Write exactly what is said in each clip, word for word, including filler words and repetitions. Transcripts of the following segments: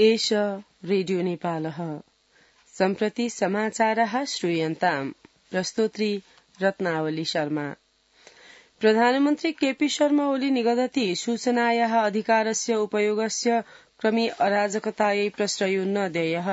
एष रेडियो नेपालः सम्प्रति समाचारः श्रूयन्ताम् प्रस्तोत्री रत्नावली शर्मा। प्रधानमन्त्री केपी शर्मा ओली निगदति सूचनायाः अधिकारस्य उपयोगस्य क्रमे अराजकतायै प्रश्रयो न देयः।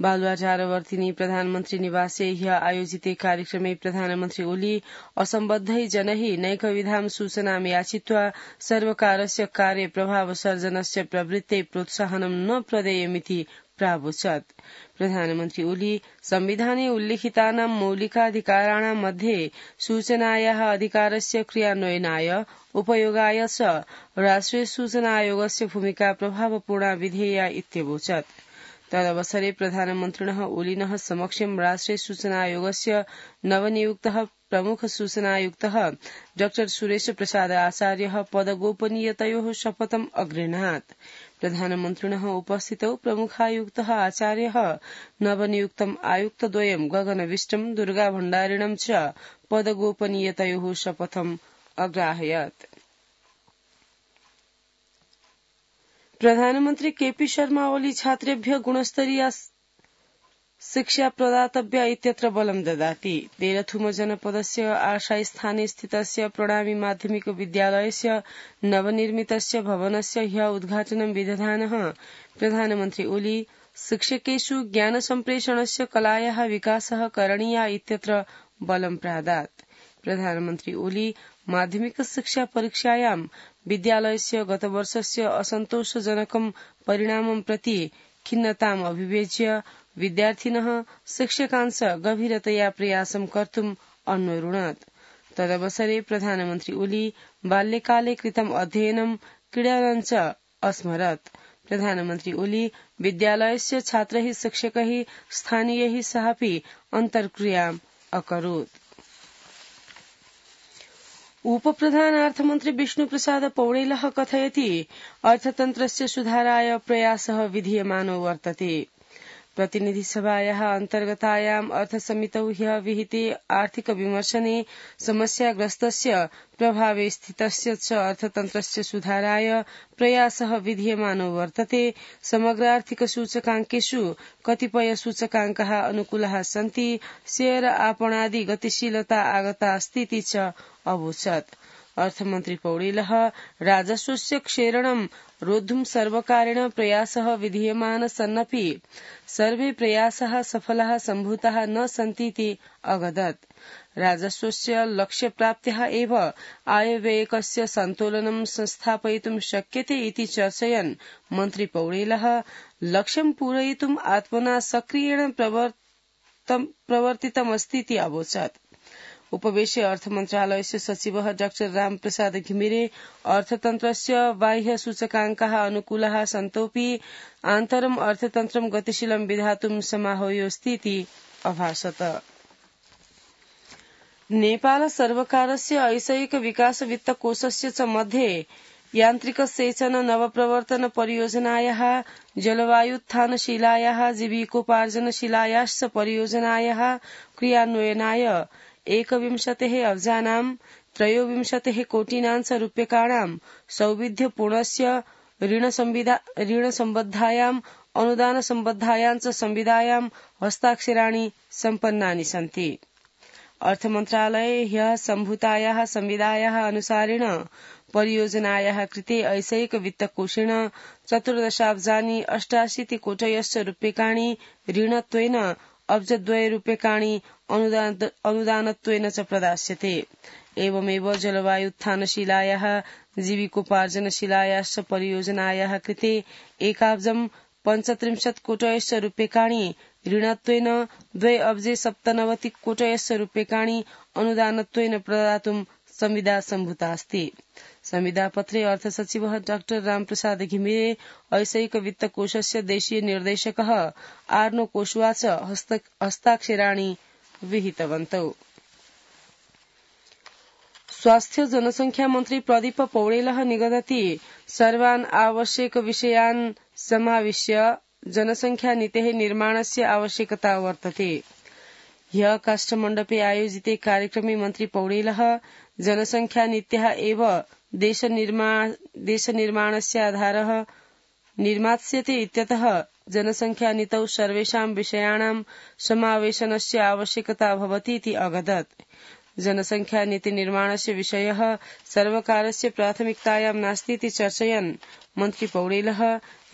बालुवाटारवर्तिनी प्रधानमन्त्री निवासे ह्य आयोजिते कार्यक्रमे प्रधानमन्त्री ओली असम्बद्धै जनैः नैकविधां सूचनां याचित्वा सर्वकारस्य कार्य प्रभाव सर्जनस्य प्रवृत्ते प्रोत्साहनं न प्रदेयमिति प्रावोचत्। प्रधानमन्त्री ओली संविधाने उल्लिखितानां मौलिकाधिकाराणां मध्ये सूचनायाः अधिकारस्य क्रियान्वयनाय उपयोगाय च राष्ट्रिय सूचना आयोगस्य भूमिका प्रभावपूर्णा विधेया इत्यवोचत्। तदवसरे प्रधानमन्त्रिणः ओलिनः समक्षं राष्ट्रिय सूचना आयोगस्य नवनियुक्तः प्रमुख सूचनायुक्तः डॉ सुरेश प्रसाद आचार्यः पदगोपनीयतयोः शपथम् अगृह्णात्। प्रधानमन्त्रिणः उपस्थितौ प्रमुखायुक्तः आचार्यः नवनियुक्तम् आयुक्तद्वयं गगनविष्टं दुर्गा भण्डारिणं च पदगोपनीयतयोः शपथम् अग्राहयत्। प्रधानमन्त्री केपी शर्मा ओली छात्रेभ्यः गुणस्तरीया शिक्षा प्रदातव्या इत्यत्र बलं ददाति। तेरथुम जनपदस्य आशास्थाने स्थितस्य प्रणामी माध्यमिक विद्यालयस्य नवनिर्मितस्य भवनस्य ह्य उद्घाटनं विदधानः प्रधानमन्त्री ओली शिक्षकेषु ज्ञानसम्प्रेषणस्य कलायाः विकासः करणीया इत्यत्र बलं प्रादात्। प्रधानमन्त्री ओली माध्यमिक शिक्षा परीक्षायां विद्यालयस्य गतवर्षस्य असन्तोषजनकं परिणामं प्रति खिन्नताम् अभिव्यज्य विद्यार्थिनः शिक्षकांश गभीरतया प्रयासं कर्तुम् अन्वरुणत्। तदवसरे प्रधानमन्त्री ओली बाल्यकाले कृतम् अध्ययनं क्रीडानं च अस्मरत्। प्रधानमन्त्री ओली विद्यालयस्य छात्रैः शिक्षकैः स्थानीयैः सहापि अन्तर्क्रियाम् अकरोत्। उपप्रधानार्थमन्त्री विष्णुप्रसाद पौडेलः कथयति अर्थतन्त्रस्य सुधाराय प्रयासः विधीयमानो वर्तते। प्रतिनिधिसभायाः अन्तर्गतायाम् अर्थसमितौ ह्यः विहिते आर्थिक विमर्शने समस्याग्रस्तस्य प्रभावे स्थितस्य च अर्थतन्त्रस्य सुधाराय प्रयासः विधीयमानो वर्तते। समग्र आर्थिक सूचकाङ्केषु कतिपय सूचकाङ्काः अनुकूलाः सन्ति। शेयर आपणादि गतिशीलता आगता अस्तीति च अवोचत्। अर्थमन्त्री पौडेलः राजस्वस्य क्षेरणं रोद्धुं सर्वकारेण प्रयासः विधीयमान सन्नपि सर्वे प्रयासाः सफलाः सम्भूताः न सन्तीति अगदत्। राजस्वस्य लक्ष्यप्राप्त्याः एव आयव्ययकस्य सन्तुलनं संस्थापयितुं शक्यते इति चर्चयन् मन्त्री पौडेलः लक्ष्यं पूरयितुम् आत्मना सक्रियेण प्रवर्तितमस्तीति अवोचत्। उपवेशे अर्थमन्त्रालयस्य सचिवः डाक्टर रामप्रसाद घिमिरे अर्थतन्त्रस्य बाह्य सूचकाङ्काः अनुकूलाः सन्तोऽपि आन्तरम् अर्थतन्त्रं गतिशीलं विधातुं समाहूयोऽस्तीति अभाषत। नेपाल सर्वकारस्य ऐषयिक विकास वित्तकोषस्य च मध्ये यान्त्रिक सेचन नवप्रवर्तन परियोजनायाः जलवायुत्थानशिलायाः जीविकोपार्जनशिलायाश्च परियोजनायाः क्रियान्वयनाय एकविंशतेः अब्जानां त्रयोविंशतेः कोटिनांश रूप्यकाणां सौविध्यपूर्णस्य ऋणसम्बद्धायाम् अनुदानसम्बद्धायां च संविदायां हस्ताक्षराणि सम्पन्नानि सन्ति। अर्थमन्त्रालये ह्यः सम्भूतायाः संविदायाः अनुसारेण परियोजनायाः कृते ऐषयिक वित्तकोषेण चतुर्दशाब्जानि अष्टाशीति कोटयश्च रूप्यकाणि ऋणत्वेन अब्जद्वय रूप्यकाणि अनुदानत्वेन च प्रदास्यते। एवमेव जलवायुत्थानशिलायाः जीविकोपार्जनशिलायाश्च परियोजनायाः कृते एकाब्जं पञ्चत्रिंशत् कोटयश्च रूप्यकाणि ऋणत्वेन द्वे अब्जे सप्तनवति कोटयश्च रूप्यकाणि अनुदानत्वेन प्रदातुं संविदा सम्भूता अस्ति। संविदापत्रे अर्थसचिवः डाक्टर रामप्रसाद घिमिरे ऐषयिक वित्तकोषस्य देशीय निर्देशकः आर्नो कोशवा च हस्ताक्षराणि विहितवन्तौ। स्वास्थ्य जनसंख्या मन्त्री प्रदीप पौडेलः निगदति सर्वान् आवश्यक विषयान् समाविश्य जनसंख्या नीतेः निर्माणस्य आवश्यकता वर्तते। ह्यः काष्ठमण्डपे आयोजिते कार्यक्रमे मन्त्री पौडेलः जनसंख्या नीत्याः एव देशनिर्माणस्य आधारः निर्मास्यते इत्यतः जनसंख्यानीतौ सर्वेषां विषयाणां समावेशनस्य आवश्यकता भवतीति अगदत्। जनसंख्यानीतिनिर्माणस्य विषयः सर्वकारस्य प्राथमिकतायां नास्तीति चर्चयन् मन्त्री पौडेलः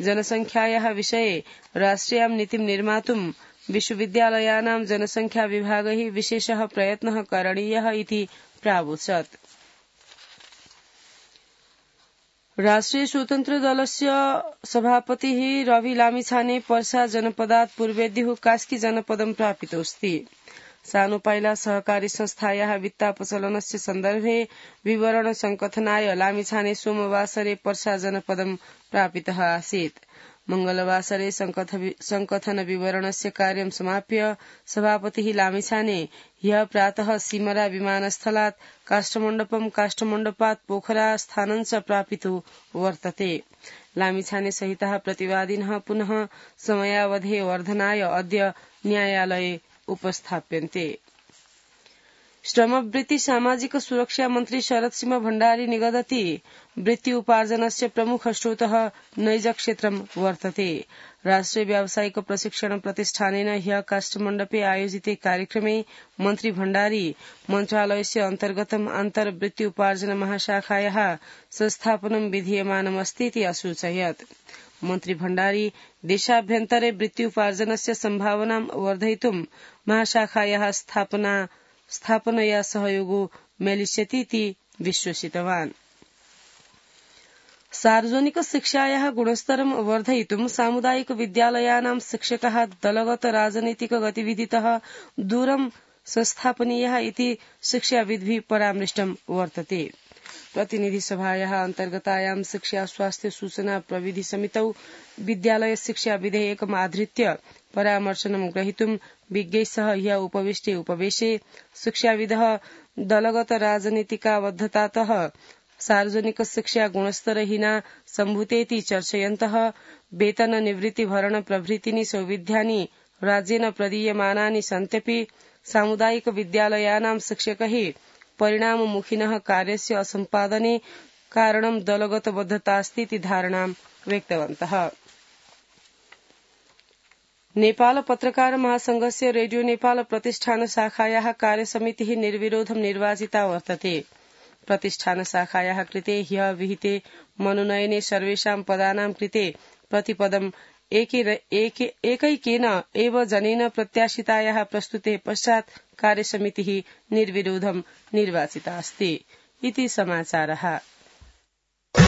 जनसंख्यायाः विषये राष्ट्रियां नीतिं निर्मातुं विश्वविद्यालयानां जनसंख्या विभागैः विशेषः प्रयत्नः करणीयः इति प्रावोचत्। राष्ट्रिय स्वतन्त्र दलस्य सभापतिः रवि लामिछाने पर्सा जनपदात् पूर्वेद्युः कास्की जनपदं प्रापितोऽस्ति। सानुपाइला सहकारी संस्थायाः वित्तापचलनस्य सन्दर्भे विवरण संकथनाय लामिछाने सोमवासरे पर्सा जनपदं प्रापितः आसीत्। मंगलवासरे संकथन विवरणस्य कार्यं समाप्य सभापतिः लामिछाने ह्यः प्रातः सिमरा विमानस्थलात् काष्ठमण्डपं काष्ठमण्डपात् पोखरा स्थानं च प्रापितो वर्तते। लामिछाने सहितः प्रतिवादिनः पुनः समयावधे वर्धनाय अद्य न्यायालये उपस्थाप्यन्ते। श्रमवृत्ति सामाजिक सुरक्षा मन्त्री शरद सिंह भण्डारी निगदति वृत्ति उपार्जनस्य प्रमुख स्रोतः नैज क्षेत्रं वर्तते। राष्ट्रिय व्यावसायिक प्रशिक्षण प्रतिष्ठानेन ह्यः काष्ठमण्डपे आयोजिते कार्यक्रमे मन्त्री भण्डारी मन्त्रालयस्य अन्तर्गतम् अन्तर्वृत्ति उपार्जन महाशाखायाः संस्थापनं विधीयमानमस्तीति असूचयत्। मन्त्री भण्डारी देशाभ्यन्तरे वृत्ति उपार्जनस्य सम्भावनां वर्धयितुं महाशाखायाः स्थापना स्थापनया सहयोगो मेलिष्यतीति विश्वसितवान्। सार्वजनिक शिक्षायाः गुणस्तरं वर्धयितुं सामुदायिक विद्यालयानां शिक्षकाः दलगत राजनैतिक गतिविधितः दूरं संस्थापनीयाः इति शिक्षाविद्भिः परामृष्टं वर्तते। प्रतिनिधिसभायाः अन्तर्गतायां शिक्षा स्वास्थ्य सूचना प्रविधि समितौ विद्यालय शिक्षा विधेयकम् आधृत्य परामर्शनं ग्रहीतुं विज्ञैः सह ह्यः उपविष्टे उपवेशे शिक्षाविदः दलगत राजनीतिकाबद्धतातः सार्वजनिक शिक्षा गुणस्तरहीना सम्भूतेति चर्चयन्तः वेतन निवृत्ति भरण प्रभृतीनि सौविध्यानि राज्येन प्रदीयमानानि सन्त्यपि सामुदायिक विद्यालयानां शिक्षकैः परिणाममुखिनः कार्यस्य असम्पादने कारणं दलगतबद्धतास्तीति धारणां व्यक्तवन्तः। नेपाल पत्रकार महासंघस्य रेडियो नेपाल प्रतिष्ठान शाखायाः कार्यसमितिः निर्विरोधं निर्वाचिता वर्तते। प्रतिष्ठान शाखायाः कृते ह्यः विहिते मनोनयने सर्वेषां पदानां कृते प्रतिपदम् एकैकेन एव जनेन प्रत्याशितायाः प्रस्तुते पश्चात् कार्यसमितिः निर्विरोधं निर्वाचिता अस्ति इति समाचारः।